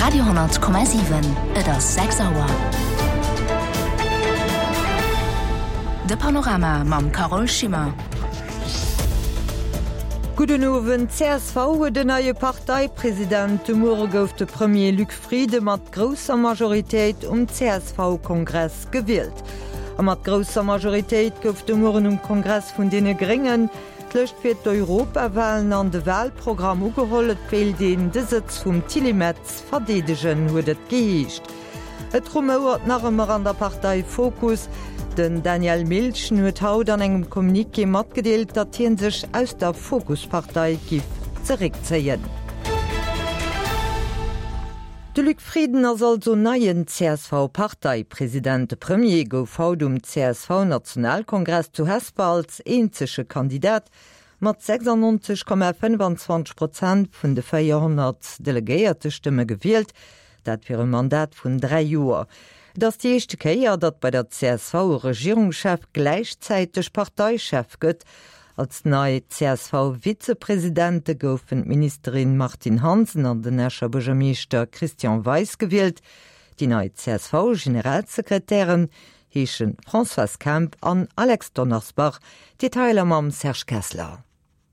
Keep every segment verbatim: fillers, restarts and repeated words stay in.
Radio honnert Komma siwen, Et ass sechs Auer. De Panorama mam Carole Schimmer. Gudden Owend, Csv huet en neie Parteipresident. De Muere gouf de Premier Luc Frieden mat grousser Majoritéit um CSV-Kongress gewielt. A mat grousser Majoritéit gouf de Mueren um Kongress vun deene Gréngen d'Lëscht fir d'Europawalen an de Walprogramm ugeholl. Et wéilt een de Sëtz vum Tilly Metz verdeedegen, huet et geheescht. Et rumouert nach ëmmer an der Partei Fokus. Den Daniel Milchen huet haut an engem Communiqué matgedeelt, datt hie sech aus der Fokus-Partei giff zeréckzéien. De Luc Frieden ass also neien C S V-Parteipresident. De Premier gouf haut um C S V-Nationalkongress zu Hesper als eenzege Kandidat mat sechsundneunzeg Komma fënnefanzwanzeg Prozent vun de véierhonnert Delegéiertestëmme gewielt, dat fir e Mandat vun dräi Joer. Et ass déi éischte Kéier, datt bei der C S V e Regierungschef gläichzäiteg Parteichef gëtt. Als nei C S V-Vizepresidente goufen d'Ministerin Martine Hansen an den Escher Buergermeeschter Christian Weis gewielt. Déi nei C S V-Generalsekretären heesche Françoise Kemp an Alex Donnersbach. Detailer mam Serge Kessler.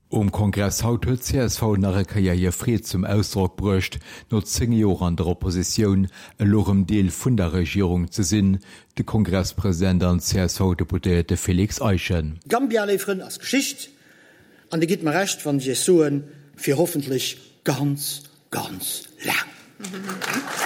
Um Kongress haut huet C S V nach eng Kéier hir Freed zum Ausdrock bruecht, no zéng Joer an der Oppositioun elo rëm Deel vun der Regierung ze sinn, de Kongresspresident an C S V-Deputéierte Félix Eischen. Gambia, léif Frënn, ass Geschicht, an Dir gitt mer Recht, wann ech Iech soen, fir hoffentlech ganz, ganz laang.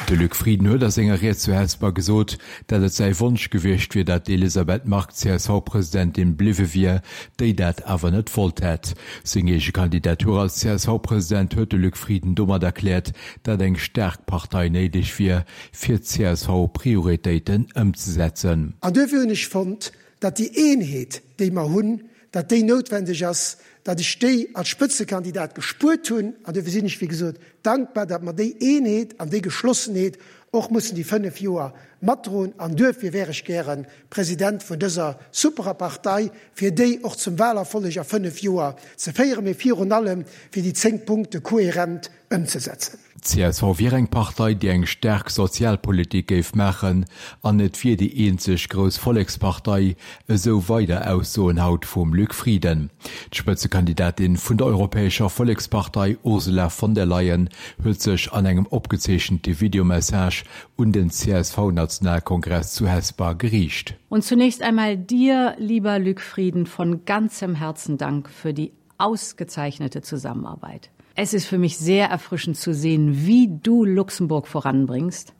De Luc Frieden huet a senger Ried zu Hesper gesot, datt et säi Wonsch gewiescht wier, datt d'Elisabeth Margue C S V-Presidentin bliwwe wier, déi dat awer net wollt hätt. Seng eege Kandidatur als C S V-President huet de Luc Frieden domat erkläert, datt eng staark Partei néideg wier, fir d'C S V-Prioritéiten ëmzesetzen. An duerfir hunn ech fonnt, datt déi Eenheet, déi mer hunn, datt déi noutwendeg ass, datt ech déi als Spëtzekandidat gespuert hunn, an dofir sinn ech, wéi gesot, dankbar, datt mer déi Eenheet an déi Geschlossenheet och mussen déi fënnef Joer matdroen, an duerfir wär ech gäre President vun dëser superer Partei, fir déi och zum Wahlerfolleg a fënnef Joer ze féieren, mee virun allem fir déi zéng Punkte kohärent ëmzesetzen. C S V wier eng Partei, déi eng staark Sozialpolitik géif maachen, an et wier déi eenzeg grouss Vollekspartei, esou weider Aussoen haut vum Luc Frieden. D'Spëtzekandidatin vun der Europäescher Vollekspartei Ursula von der Leyen huet sech an engem opgezeechente Videomessage un den C S V-Nationalkongress zu Hesper geriicht. Und zunächst einmal dir, lieber Luc Frieden, von ganzem Herzen Dank für die ausgezeichnete Zusammenarbeit. Es ist für mich sehr erfrischend zu sehen, wie du Luxemburg voranbringst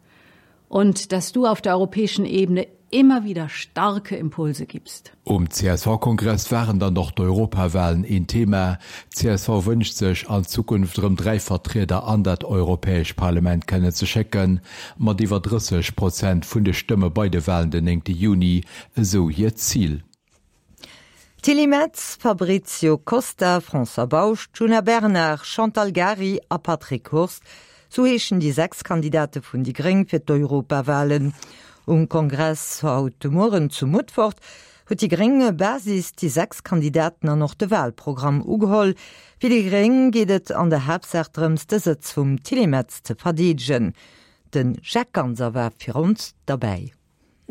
und dass du auf der europäischen Ebene immer wieder starke Impulse gibst. Um C S V-Kongress waren dann och d'Europawalen een Thema. C S V wënscht sech an Zukunft rëm dräi Vertrieder an dat Europäescht Parlament kënnen ze schécken, mat iwwer drësseg Prozent vun de Stëmme bei de Walen den néngte Juni, esou hiert Zil. Tilly Metz, Fabrizio Costa, François Bausch, Djuna Bernard, Chantal Gary a Patrick Hurst, sou heeschen déi sechs Kandidate vun déi Gréng fir d'Europawalen. Um Kongress haut de Mueren zu Mutfert huet déi gréng Basis déi sechs Kandidaten an och de Walprogramm ugeholl. Fir déi Gréng geet et an der Haaptsaach drëms, de Sëtz vum Tilly Metz ze verdeedegen. De Jacques Ganser war fir ons derbäi.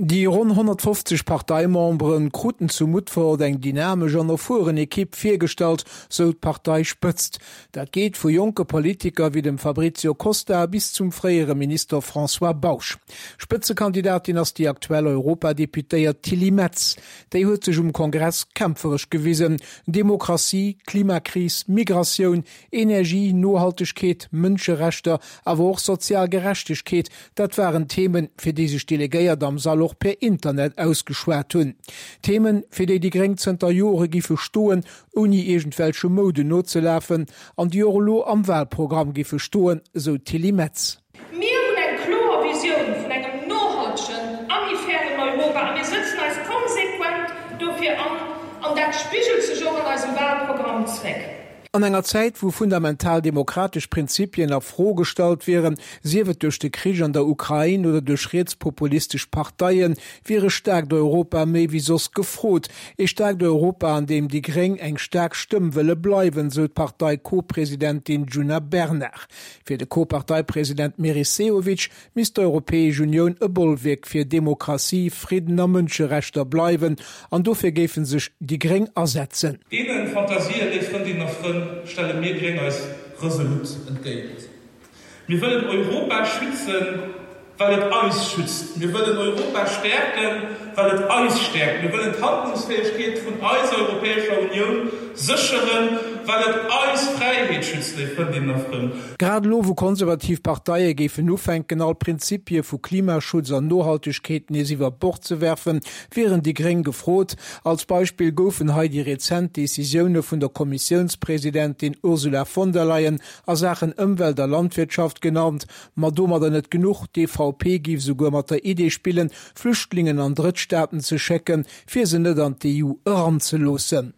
Déi ronn honnertfofzeg Parteimembere kruten zu Mutfert eng dynamesch an erfueren Ekipp virgestallt, sou d'Parteispëtzt. Dat geet vu jonke Politiker wéi dem Fabrizio Costa bis zum fréiere Minister François Bausch. Spëtzekandidatin ass déi aktuell Europadeputéiert Tilly Metz. Déi huet sech um Kongress kämpferesch gewisen. Demokratie, Klimakris, Migratioun, Energie, Nohaltegkeet, Mënscherechter, awer och sozial Gerechtegkeet, dat waren Themen, fir déi sech d'Delegéiert am Sall och per Internet ausgeschwat hunn. Themen, fir déi déi Gréng zënter Jore giffe stoen, ouni iergendwelche Mouden nozelafen, an déi och elo am Walprogramm giffe stoen, sou d'Tilly Metz. Mir hunn eng kloer Visioun vun engem nohaltegen a méi fairen Europa a mir sëtzen eis konsequent dofir an, an dat spigelt sech och an eisem Walprogramm zréck. An enger Zäit, wou fundamental demokratesch Prinzipien a Fro gestallt wieren, sief et duerch de Krich an der Ukrain oder duerch rietspopulistesch Parteien, wier e staarkt Europa méi wéi soss gefrot. E staarkt Europa, an deem déi Gréng eng staark Stëmm wëlle bleiwen, sou d'Partei-Co-Presidentin Djuna Bernard. Fir de Co-Parteipresident Meris Sehovic misst d'Europäesch Unioun e Bollwierk fir Demokratie, Fridden a Mënscherechter bleiwen an dofir géife sech déi Gréng asetzen. Deene Fantasien, léif Frëndinnen a Frënn, stelle mir Gréng eis resolut entgéint. Mir wëllen Europa schützen, well et eis schützt. Mir wëllen Europa stäerken, well et eis stäerkt. Mir wëllen d'Handlungsfäegkeet vun eiser Europäescher Unioun sécheren, well et eis Fräiheet schützt, léif Frëndinnen a Frënn. Grad elo, wou konservativ Parteie géifen ufänken, all Prinzipie vu Klimaschutz an Nohaltegkeet nees iwwer Bord ze werfen, wieren déi Gréng gefrot. Als Beispill goufen hei déi rezent Decisioune vun der Kommissiounspresidentin Ursula von der Leyen a Saachen Ëmwelt a Landwirtschaft genannt. Ma domadder net genuch, d'EVP géif esouguer mat der Idee spillen, Flüchtlingen an Drëttstaaten ze schécken, fir se net an d'EU eranzeloossen.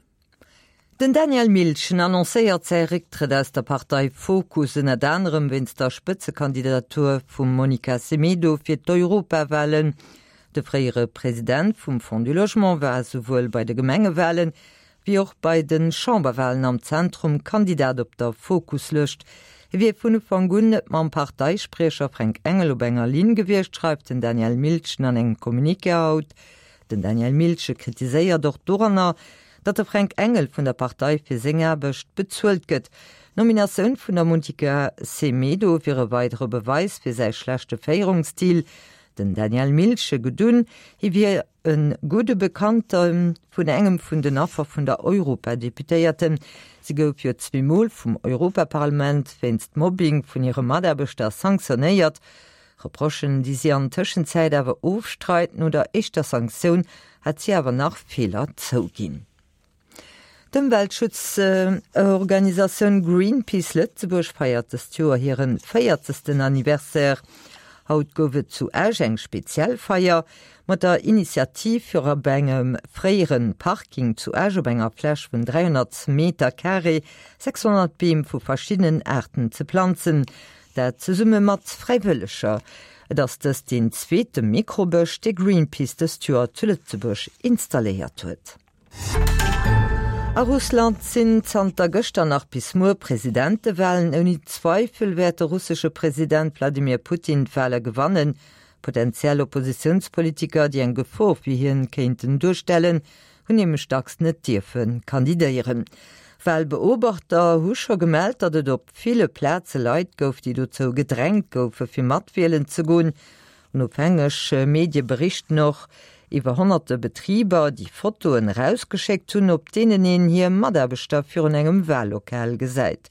Den Daniel Milchen annoncéiert säi Récktrëtt aus der Partei Fokus, ënnert anerem wéinst der Spëtzekandidatur vum Monica Semedo fir d'Europawalen. De fréiere President vum Fonds du Logement war souwuel bei de Gemengewalen, wéi och bei de Chamberwalen am Zentrum Kandidat op der Fokus-Lëscht. Hie wier vun Ufank un net mam Parteispriecher Fränk Engel op enger Linn gewiescht, schreift den Daniel Milchen an engem Communiqué haut. Den Daniel Milchen kritiséiert och doranner, datt de Fränk Engel vun der Partei fir seng Aarbecht bezuelt gëtt. D'Nominatioun vun der Monica Semedo wier e weidere Beweis fir säi schlechte Féierungsstil. Den Daniel Milchen gedunn, hie wier e gudde Bekannte vun engem vun den Affer vun der Europadeputéierten. Si gouf jo zweemol vum Europaparlament wéinst Mobbing vun hire Mataarbechter sanktionéiert. Reprochen, déi si an Tëschenzäit awer ofstreit. No der éischter Sanktioun hat si awer nach Feeler zouginn. D'Ëmweltschutzorganisatioun Greenpeace Lëtzebuerg feiert dëst Joer hire véierzegsten Anniversaire. Haut gouf et zu Esch eng speziell Feier mat der Initiativ fir op engem fréiere Parking zu Esch op enger Fläch vun dräihonnert Meter Carré sechshonnert Beem vu verschiddenen Aarten ze planzen. Dat zesumme mat Fräiwëlleger. Et ass dëst deen zweete Mikrobësch, dee Greenpeace dëst Joer zu Lëtzebuerg installéiert huet. A Russland sinn zanter gëschter nach bis muer Presidentewalen. Ouni Zweifel wäert de russesche President Wladimir Putin d'Wale gewannen. Potentiell Oppositiounspolitiker, déi eng Gefor fir hien kéinten duerstellen, hunn nämlech dacks net dierfe kandidéieren. Walbeobachter hu scho gemellt, datt et op ville Plaze Leit gouf, déi dozou gedrängt goufe fir mat wielen ze goen. Onofhängeg Medie berichten och iwwer honnerte Betriber, déi Fotoen erausgeschéckt hunn, op deenen een hir Mataarbechter virun engem Wahllokal gesäit.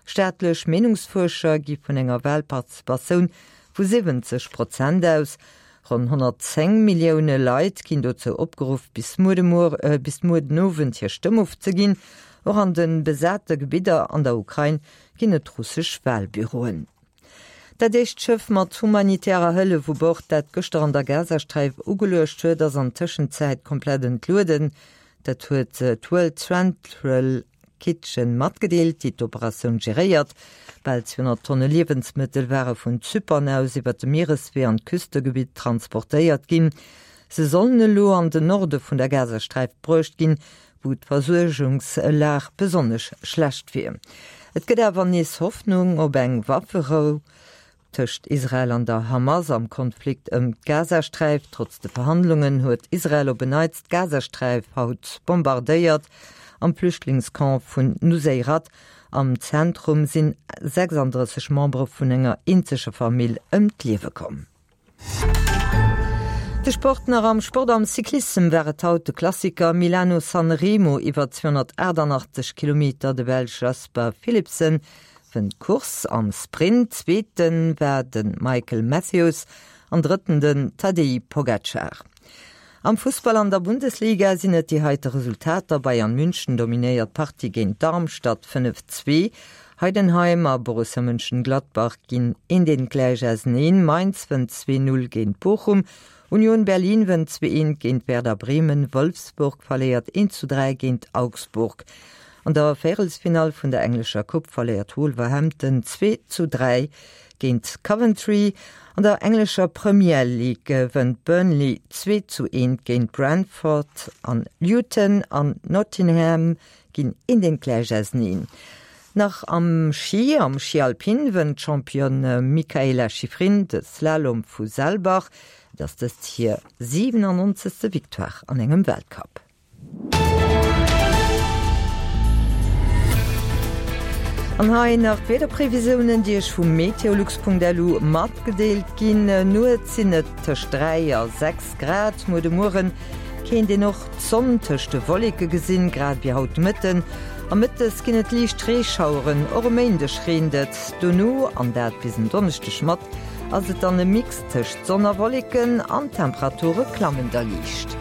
Staatlech Meenungsfuerscher gi vun enger Wahlparticipatioun vu siwwenzeg Prozent aus. Ronn honnertzéng Millioune Leit ginn dozou opgeruff, bis muer de Muer, bis muer den Owend hir Stëmm ofzeginn. Och an de besate Gebidder an der Ukrain ginn et russesch Wahlbüroen. Dat éischt Schëff mat humanitärer Hëllef u Bord, dat gëschter an der Gazasträif ugeluecht huet, ass an Tëschenzäit komplett entlueden. Dat huet d'World Central Kitchen matgedeelt, déi d'Operatioun geréiert. Bal zweehonnert Tonne Liewensmëttel ware vun Zypern aus iwwer de Miereswee an d'Küstegebitt transportéiert ginn. Se sollen elo an den Norde vun der Gazasträif bruecht ginn, wou d'Versuergungslag besonnesch schlecht wier. Et gëtt awer nees Hoffnung op eng Wafferou tëscht Israel an der Hamas am Konflikt ëm d'Gazasträif. Trotz de Verhandlungen huet Israel op en Neits d'Gazasträif haut bombardéiert. Am Flüchtlingscamp vun Nuseirat am Zentrum sinn sechsanddrësseg Membere vun enger eenzeger Famill ëm d'Liewe komm. De Sport nach Am Sport am Cyclissem war et haut de Klassiker Milano-San Remo iwwer zweehonnertachtannachtzeg Kilometer. De Belsch Jasper Philipsen wënnt d'Course am Sprint, Zweete war de Michael Matthews an Drëtten den Tadej Pogacar. Am Fussball an der Bundesliga sinn et déi heite Resultater, Bayern München dominéiert d'Partie géint Darmstadt fënnef, zwee, Heidenheim a Borussia Mönchengladbach ginn eent eent gläich auseneen, Mainz wënnt zwee, null géint Bochum, Union Berlin wënnt zwee, eent géint Werder Bremen, Wolfsburg verléiert eent zu dräi géint Augsburg. An der Véierelsfinall vun der englescher Coupe verléiert Wolverhampton zwee zu dräi géint Coventry. An der englescher Premier League gewënnt Burnley zwee zu eent géint Brentford an Luton an Nottingham ginn eent eent gläich auseneen. Nach am Schi, Am Schi Alpin wënnt d'Championne Mikaela Shiffrin de Slalom vu Saalbach. Et ass dëst hir siwenannonzegste Victoire an engem Weltcup. An hei nach d'Wiederprevisiounen, déi Iech vu meteolux.lu matgedeelt ginn. Nuets sinn et tëscht dräi a sechs Grad, muer de Mueren kéint een och d'Sonn tëscht de Wolleke gesinn, grad wéi haut de Mëtten. A mëttes ginn et liicht Reeschaueren, och e Méindeg reent et dono, an dat bis en Donneschdeg mat ass et dann e Mix tëscht Sonn a Wolleken an d'Temperature klammen da liicht.